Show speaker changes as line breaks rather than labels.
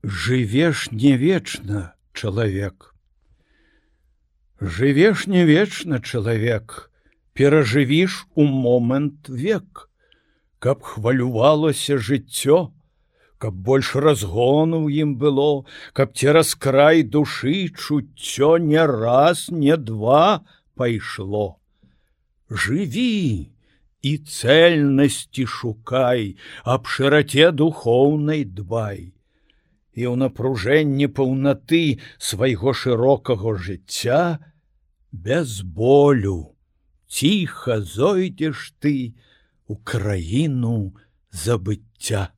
Жывеш не вечна, чалавек. Жывеш не вечна, чалавек, перажывіш у момант век, каб хвалювалася жыццё, каб больш разгону ў ім было, каб цераз край душы чуццё не раз, не два пайшло. Жыві і цэльнасці шукай, аб шыраце духоўнай дбай. І ў напружэнні паўнаты свайго шырокага жыцця без болю ціха зойдзеш ты у краіну забыцця.